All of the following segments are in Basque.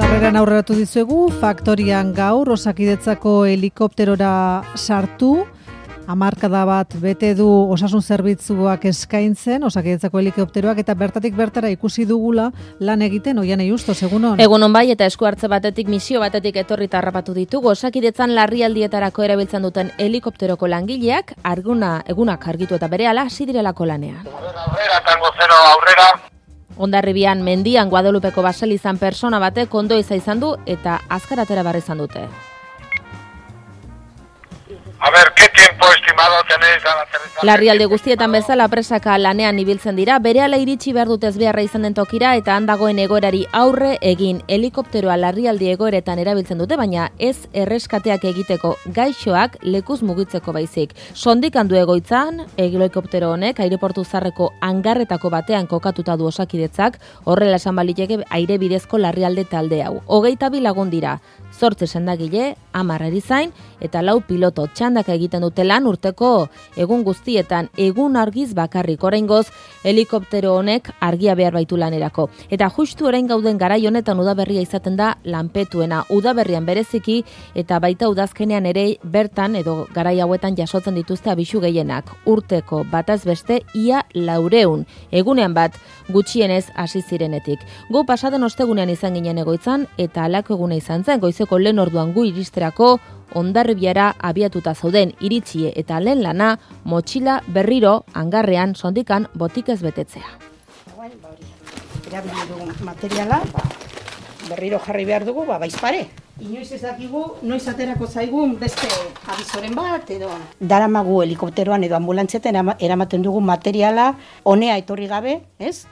Sarreran aurreratu dizuegu, faktorian gaur Osakidetzako helikopterora sartu, hamarkada bat bete du osasun zerbitzuak eskaintzen, Osakidetzako helikopteroak, eta bertatik bertara ikusi dugula lan egiten. Oianei Justos, egunon? Egunon bai, eta esku hartze batetik, misio batetik etorri eta harrapatu ditugu. Osakidetzan larrialdietarako erabiltzen duten helikopteroko langileak egunak argitu eta berehala hasi direlako lanean. Aurrera, tango zero aurrera. Hondarribian mendian Guadalupeko baselizan persona batek ondoiza izan du eta azkar atera behar izan dute. A ver, ¿qué tiempo estimado tenéis al aterrizar? Larrialde guztietan bezala presaka lanean ibiltzen dira, berehala iritsi behar dut ez beharra izan den tokira eta handagoen egoerari aurre egin. Helikopteroa larrialdi egoeretan erabiltzen dute, baina ez erreskateak egiteko, gaixoak lekuz mugitzeko baizik. Sondikan du egoitzan, helikoptero honek aireportu zarreko hangarretako batean kokatuta du Osakidetzak, horrela esan baliteke aire bidezko larrialde talde hau. 22 lagun dira, 8 sendagile, 10 erizain eta 4 piloto. Txandaka egiten dute lan urteko egun guztietan, egun argiz bakarrik. Oraingoz helikoptero honek argia behar baitu lanerako. Eta justu orain gauden garai honetan udaberria izaten da lanpetuena. Udaberrian bereziki eta baita udazkenean ere bertan edo garai hauetan jasotzen dituzte abisu gehienak. Urteko bataz beste ia 400. Egunean bat gutxienez hasi zirenetik. Gu pasaden ostegunean izan ginen egoitzan eta halako eguna izan zen, goizeko lehen orduan gu iristerako Hondarribiara abiatuta zauden iritsie eta lehen lana motxila berriro hangarrean sondikan botikez betetzea. Erabili dugu materiala, berriro jarri behar dugu, baizpare. Inoiz ez dakigu, noiz aterako zaigun beste abizoren bat edo. Daramagu helikopteroan edo ambulantzietan eramaten dugu materiala honea etorri gabe, ez?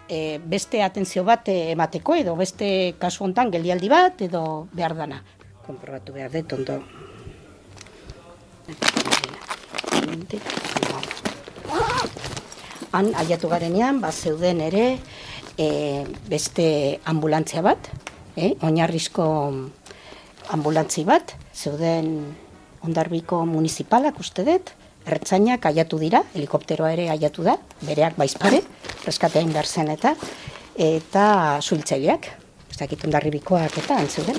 Beste atentzio bat emateko edo beste kasu hontan geldialdi bat edo behar dana. Konprobatu behar dut ondo. Han aiatu garenean, zeuden ere beste ambulantzia bat, oinarrizko ambulantzi bat, zeuden Hondarbiko municipalak uste dut, ertzainak aiatu dira, helikopteroa ere aiatu da, bereak baizpare, reskateain behar zen eta zuhiltzaileak, ez dakit Hondarribikoak eta antzeuden.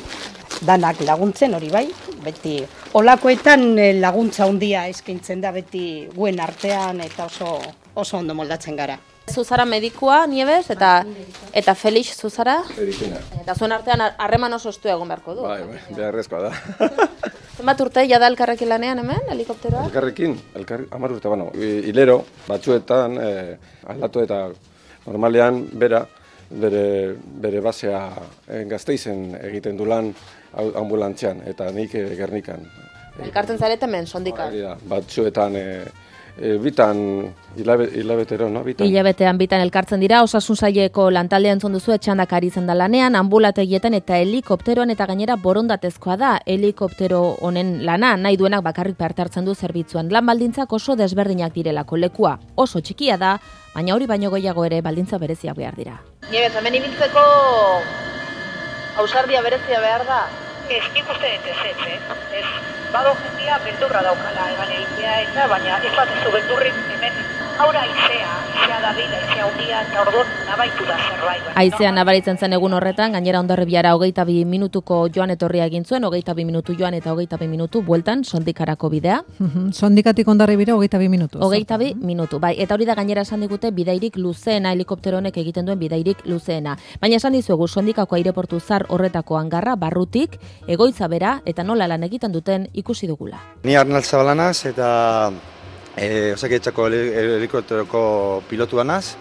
Danak laguntzen hori bai, beti olakoetan laguntza handia eskaintzen da beti guen artean eta oso ondo moldatzen gara. Zuzara medikua, Nieves, eta Felix zuzara? Felixina. Eta zuen artean harreman oso estu egon beharko du. Bai, beharrezkoa da. Zenbat urte jada elkarrekin lanean hemen, helikopteroa? Elkarrekin, 10 urte, hilero, batzuetan, aldatu eta normalean bere basea Gasteizen egiten du lan ambulantzian eta nik Gernikan. Elkartzen zarete hemen, sondikan? Batzuetan bitan hilabetero, no? Hilabetean bitan elkartzen dira, Osasun Saileko lantaldean entzun duzu etxandak ari zen da lanean, ambulategietan eta helikopteroan eta gainera borondatezkoa da helikoptero honen lana, nahi duenak bakarrik parte hartzen du zerbitzuan. Lan baldintzak oso desberdinak direlako, lekua oso txikia da, baina hori baino gehiago ere baldintza bereziak behar dira. Nieves, hemen ibiltzeko ausardia berezia behar da? Ez, nik uste dut ez. Bado jendia beldurra daukala egan egitea eta, baina ez bat ez du beldurrik hemen aura aizea dabila, aizea hundia eta orduan nabaitu da zerbait. Aizea nabaritzen zen egun horretan, gainera Hondarribiara 22 minutuko joan etorria egin zuen, 22 minutu joan eta 22 minutu bueltan sondikarako bidea. Sondikatik Hondarribira 22 minutu. 22 minutu, bai, eta hori da gainera esan digute bidairik luzeena, helikoptero honek egiten duen bidairik luzeena. Baina esan dizuegu sondikako aireportu zar horretako hangarra barrutik, egoitza bera eta nola lan egiten duten ikusi dugula. Ni Arnal Zabalanaz eta Osakidetzako helikopteroko pilotua naz,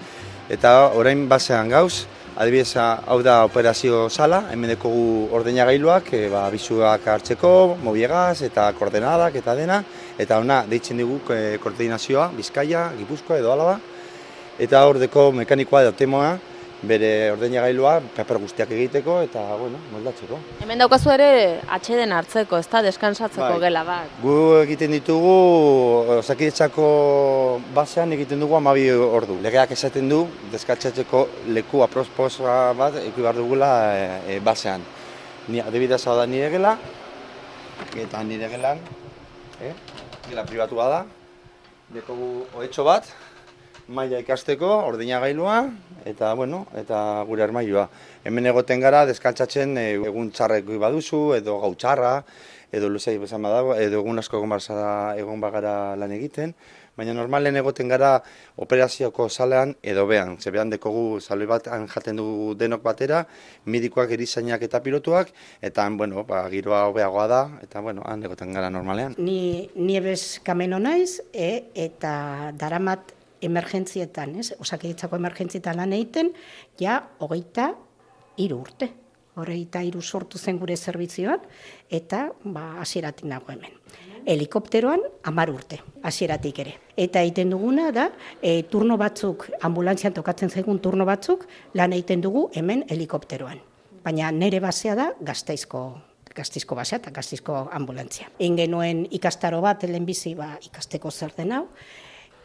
eta orain basean gauz, adibidez hau da operazio sala, hemen dekogu ordenagailuak, abisuak hartzeko, mobiegaz eta koordenadak eta dena, eta ona deitzen dugu koordinazioa, Bizkaia, Gipuzkoa edo Álava, eta hor deko mekanikoa edo temoa, bere ordenagailua paper guztiak egiteko eta moldatzeko. Hemen daukazu ere atxeden hartzeko, ezta deskansatzeko gela bat. Gu egiten ditugu Osakidetzako basean egiten dugu 12 ordu. Legeak esaten du deskatzatzeko leku aproposa bat eduki behar dugula basean. Ni adibidez hau da nire gela eta nire gelan gela pribatua da. Dekogu ohetxo bat maila ikasteko, ordeinagailua, eta, bueno, eta gure armailua. Hemen egoten gara, deskantzatzen egun txarrek baduzu, edo gau txarra, edo luzei bezan badago, edo egun asko egon bagara lan egiten, baina normalen egoten gara operazioko salean edo behan. Zebean dekogu saloi bat jaten dugu denok batera, medikoak, erizainak eta pilotuak, eta bueno, giroa hobeagoa da, eta bueno, han egoten gara normalean. Ni ebes kameno naiz, eta daramat emergentzietan, Osakidetzako emergentzietan lan egiten, ja 23 urte. 23 sortu zen gure zerbitzioan, eta hasieratik nago hemen. Helikopteroan 10 urte, hasieratik ere. Eta egiten duguna da, turno batzuk, ambulantzian tokatzen zaigun turno batzuk, lan egiten dugu hemen helikopteroan. Baina nire basea da Gasteizko basea eta Gasteizko ambulantzia. Egin genuen ikastaro bat, lehenbizi ikasteko zer den hau,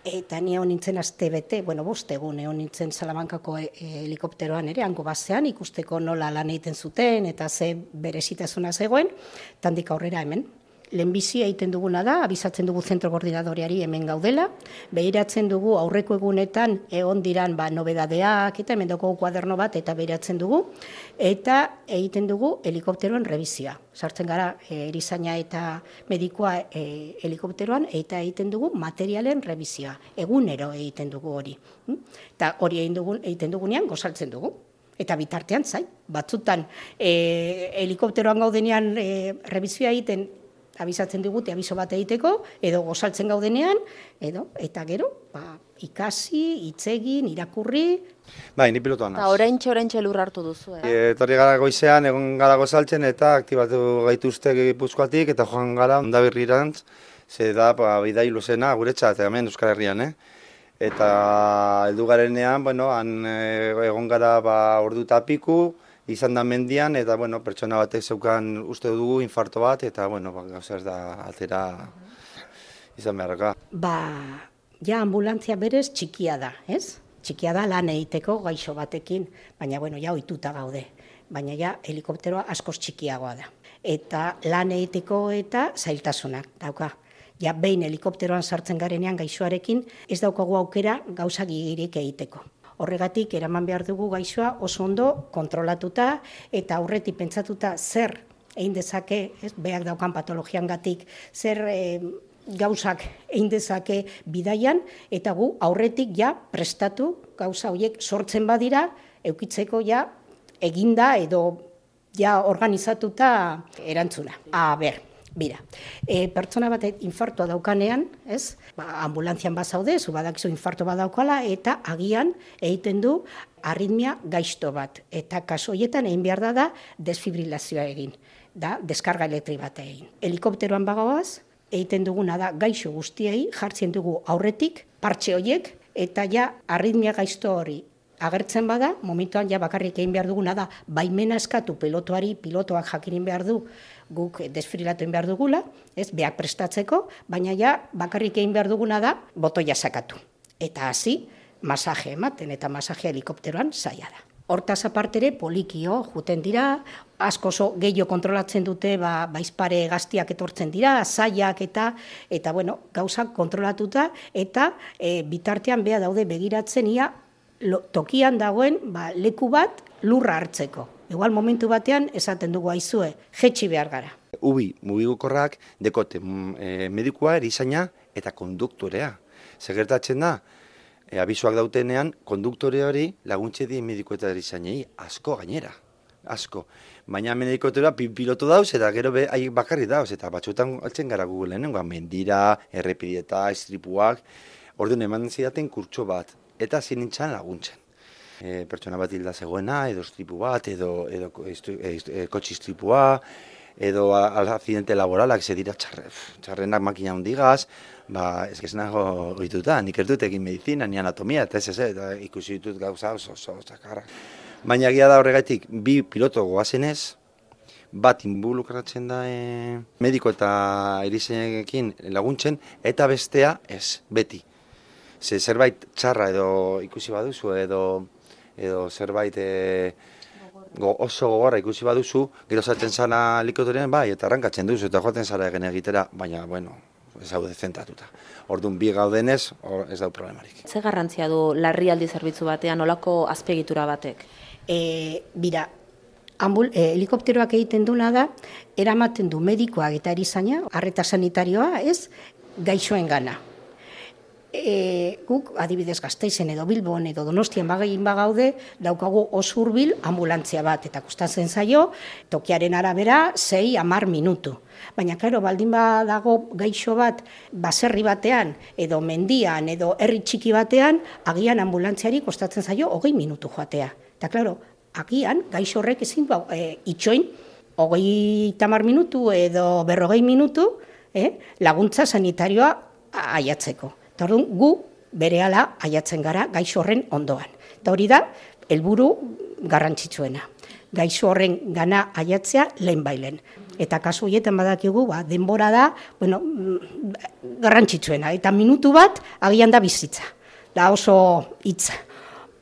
eta ni egon nintzen aste bete, 5 egun egon nintzen Salamankako helikopteroan ere, hango basean, ikusteko nola lan egiten zuten, eta ze berezitasuna zegoen, tandik aurrera hemen. Lehenbizi egiten duguna da, abisatzen dugu zentro koordinadoreari hemen gaudela, behiratzen dugu aurreko egunetan egon diran nobedadeak, eta hemen daukagu kuaderno bat, eta behiratzen dugu, eta egiten dugu helikopteroen rebizioa. Sartzen gara erizaina eta medikoa helikopteroan, eta egiten dugu materialen rebizioa. Egunero egiten dugu hori. Eta hori egiten dugunean gozaltzen dugu. Eta bitartean zai, batzutan helikopteroan gaudenean rebizioa egiten, abisatzen digute abiso bat egiteko, edo gozaltzen gaudenean, eta gero, ikasi, hitz egin, irakurri. Bai, ni pilotoan naz. Eta oraintxe lur hartu duzu, Etorri gara goizean, egon gara gozaltzen, eta aktibatu gaituzte Gipuzkoatik, eta joan gara Hondarribirantz, ze da bidai luzena guretzat, hemen Euskal Herrian, Eta heldu garenean, han egon gara ordu eta piku, izan da mendian, eta pertsona batek zeukan uste dugu infarto bat, eta gauza ez da atera izan beharraka. Ja ambulantzia berez txikia da, ez? Txikia da lan egiteko gaixo batekin, baina ja ohituta gaude. Baina ja helikopteroa askoz txikiagoa da. Eta lan egiteko eta zailtasunak dauka. Ja behin helikopteroan sartzen garenean gaixoarekin, ez daukagu aukera gauza gigirik egiteko. Horregatik, eraman behar dugu gaixoa oso ondo kontrolatuta eta aurretik pentsatuta zer egin dezake, beak daukan patologiangatik, zer gauzak egin dezake bidaian, eta gu aurretik prestatu gauza horiek sortzen badira, eukitzeko eginda edo organizatuta erantzuna. Bira, pertsona bat infartoa daukanean, ambulantzian bazaude, zu badakizu infarto bat daukala, eta agian egiten du arritmia gaizto bat. Eta kasu horietan egin behar da desfibrilazioa egin, deskarga elektrik bat egin. Helikopteroan bagagoaz, egiten duguna da gaixo guztiei, jartzen dugu aurretik, partxe horiek, eta arritmia gaizto hori agertzen bada, momentuan bakarrik egin behar duguna da, baimena eskatu pilotoak jakinin behar du, guk desfibrilatu egin behar dugula, beak prestatzeko, baina bakarrik egin behar duguna da, botoia sakatu. Eta hasi, masaje ematen, eta masaje helikopteroan zaila da. Hortaz apartere polikio juten dira, asko gehiago kontrolatzen dute, baizpare gaztiak etortzen dira, zaiak eta gauzak kontrolatuta, eta bitartean beha daude begiratzen ia tokian dagoen leku bat lurra hartzeko. Igual momentu batean esaten dugu aizue, jetxi behar gara. Mugigukorrak dekote medikua, erizaina eta konduktorea. Segertatzen da, abisoak dautenean, konduktore hori laguntze di mediko eta erizainei asko gainera. Asko. Baina medikotea piloto dauz eta gero bakarri dauz. Eta batzuetan altzen gara Googleen, mendira, errepidieta, istripuak. Orduan eman zidaten kurtso bat. Eta zinintzan laguntzen. Pertsona bat hilda zegoena, edo istripu bat, edo kotxe istripua, edo accidente laboralak, ze dira txarrenak makina hundigaz, ez que nago goituta, nik ez dut egin medizina, ni anatomia, eta ikusi ditut gauza oso txakarra. Baina egia da horregatik, bi piloto goazenez, bat involukratzen da mediko eta erizainekin laguntzen, eta bestea ez, beti. Zerbait txarra edo ikusi baduzu, edo zerbait oso gogorra ikusi baduzu, gero zaten zara helikopteroan, eta arrankatzen duzu, eta joaten zara egin egitera, baina, ez daude zentratuta. Orduan bi gaudenez, ez dau problemarik. Ze garrantzia du larrialdi zerbitzu batean, nolako azpiegitura batek? Bira, helikopteroak egiten duna da, eramaten du medikoak eta erizaina, arreta sanitarioa, ez, gaixoen gana. Guk, adibidez Gasteizen edo Bilbon edo Donostian bagaude, daukagu oso hurbil anbulantzia bat, eta kostatzen zaio, tokiaren arabera 6-10 minutu. Baina, klaro, baldin badago gaixo bat, baserri batean, edo mendian, edo herri txiki batean, agian ambulantziari kostatzen zaio 20 minutu joatea. Eta, klaro, agian, gaixo horrek ezin itxoin, 30 minutu edo 40 minutu, laguntza sanitarioa aiatzeko. Eta orduan, gu berehala aiatzen gara gaixo horren ondoan. Eta hori da, helburu garrantzitsuena. Gaixo horren gana aiatzea lehenbailen. Eta kasu horietan badakigu, denbora da, garrantzitsuena. Eta minutu bat, agian da bizitza. Da oso hitz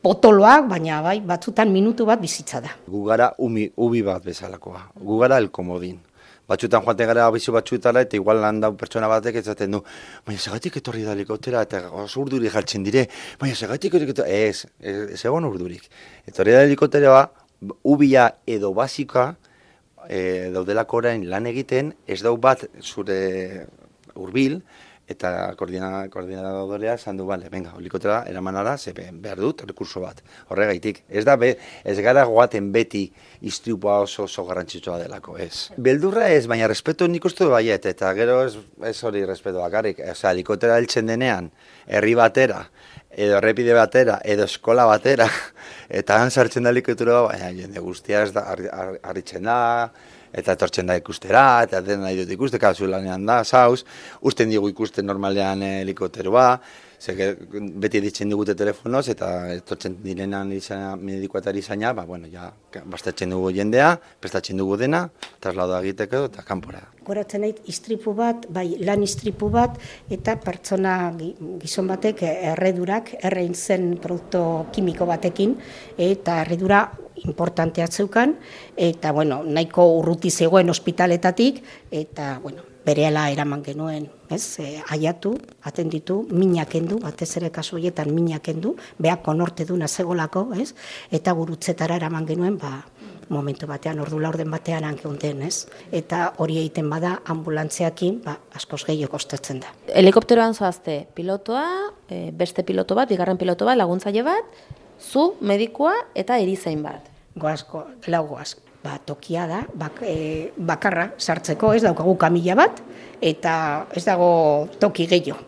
potoloak, baina batzutan minutu bat bizitza da. Gu gara ubi bat bezalakoa. Gu gara elkomodin. Batzuetan joaten gara abizu batzuetara eta igual landau pertsona batek ezaten du, baina segatik etorri da helikoptera eta oso urduri jartzen dire, baina segatik ez egon urdurik. Etorri da helikopteroa, ubia edo basikoa daudelako orain lan egiten, ez dau bat zure hurbil, eta koordinadorea esan du, venga, helikoptera eramanara, ze behar dut, rekurso bat. Horregaitik, ez gara goaten beti istripua oso garrantzitsua delako, ez. Beldurra ez, baina respeto nik uste du baiet, eta gero ez hori respeto bakarrik. Helikoptera heltzen denean, herri batera, edo errepide batera, edo eskola batera, eta han sartzen da helikoptera, baina jende guztia ez da, harritzen da, eta etortzen da ikustera, eta den nahi dut ikuste, kasu lanean da, zauz, usten digu ikusten normalean helikopteroa, beti ditzen digute telefonoz, eta etortzen direnan medikoa eta erizaina, bastatzen dugu jendea, prestatzen dugu dena, traslado egiteko eta kanpora. Goratzen nahi istripu bat, lan istripu bat, eta pertsona gizon batek errein zen produktu kimiko batekin, eta erredura importantea zeukan, eta nahiko urruti zegoen ospitaletatik, eta berehala eraman genuen, aiatu, atenditu, minak endu, batez ere kasu horietan minak endu, behak konorte duna zegolako, eta gurutzetara eraman genuen, momentu batean, ordu laurden batean hankeonden, eta hori egiten bada ambulantziakin, askoz gehiago kostatzen da. Helikopteroan zoazte, pilotoa, beste piloto bat, bigarren piloto bat, laguntzaile bat, zu, medikua eta erizain bat. Lau goaz. Tokia da, bakarra sartzeko, ez daukagu kamila bat, eta ez dago toki gehiago.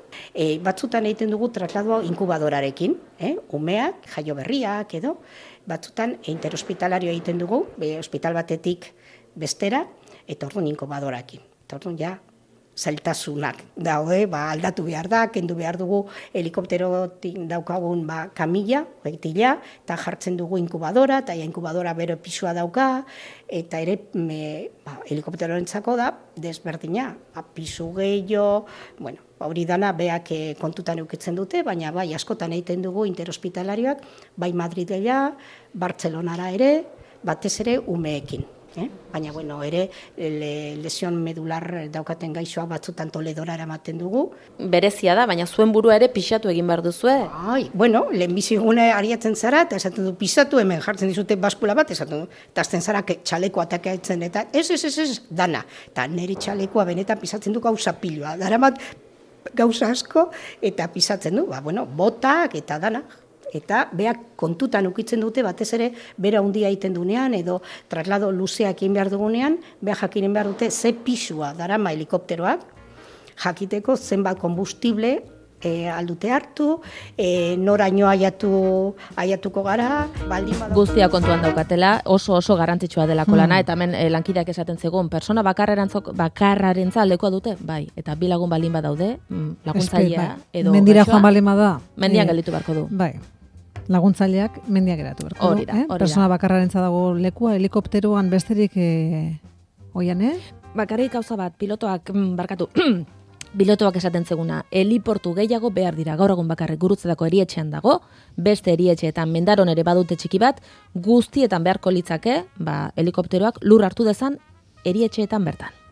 Batzutan egiten dugu traslado inkubadorarekin, umeak, jaio berriak edo, batzutan interhospitalario egiten dugu, hospital batetik bestera, eta orduan inkubadorarekin. Eta orduan ja, zailtasunak daude, aldatu behar da, kendu behar dugu helikopterotik daukagun kamila, beitila, eta jartzen dugu inkubadora, eta inkubadora bero pisua dauka, eta ere helikopterorentzako da, desberdina, pisu gehiago, hori dana beak kontutan eukitzen dute, baina askotan egiten dugu interhospitalarioak, bai Madridela, Bartzelonara ere, batez ere umeekin. Baina, ere, lesion medular daukaten gaixoa batzutan Toledora eramaten dugu. Berezia da, baina zuen burua ere pixatu egin behar duzue? Lehenbizigune ariatzen zara, eta esaten du, pixatu hemen jartzen dizute baskula bat, esaten du, eta azten zara txaleko atakatzen, eta ez, dana. Eta nire txalekoa benetan pisatzen du gauza pilua. Daramat gauza asko, eta pisatzen du, botak eta dana. Eta beak kontutan ukitzen dute, batez ere, bera handia egiten dunean, edo traslado luzeak egin behar dugunean, beha jakinen behar dute ze pisua darama helikopteroak, jakiteko zenbat konbustible aldute hartu, noraino aiatuko gara, baldin badago. Guztia kontuan daukatela, oso garrantzitsua delako lana, eta hemen lankideak esaten zegoen, persona bakarrarentza aldekoa dute, bai, eta bi lagun baldin badaude, laguntzailea, edo mendira joan balema da. Mendian gelditu beharko du. Bai. Laguntzaileak mendiak geratu beharko du. Hori da. Persona bakarrarentza dago lekua, helikopteroan besterik oian, Bakarrik gauza bat, pilotoak esaten zeguna, heliportu gehiago behar dira, gaur egun bakarrik Gurutzetako erietxean dago, beste erietxeetan Mendaron ere badute txiki bat, guztietan beharko litzake, helikopteroak lur hartu dezan erietxeetan bertan.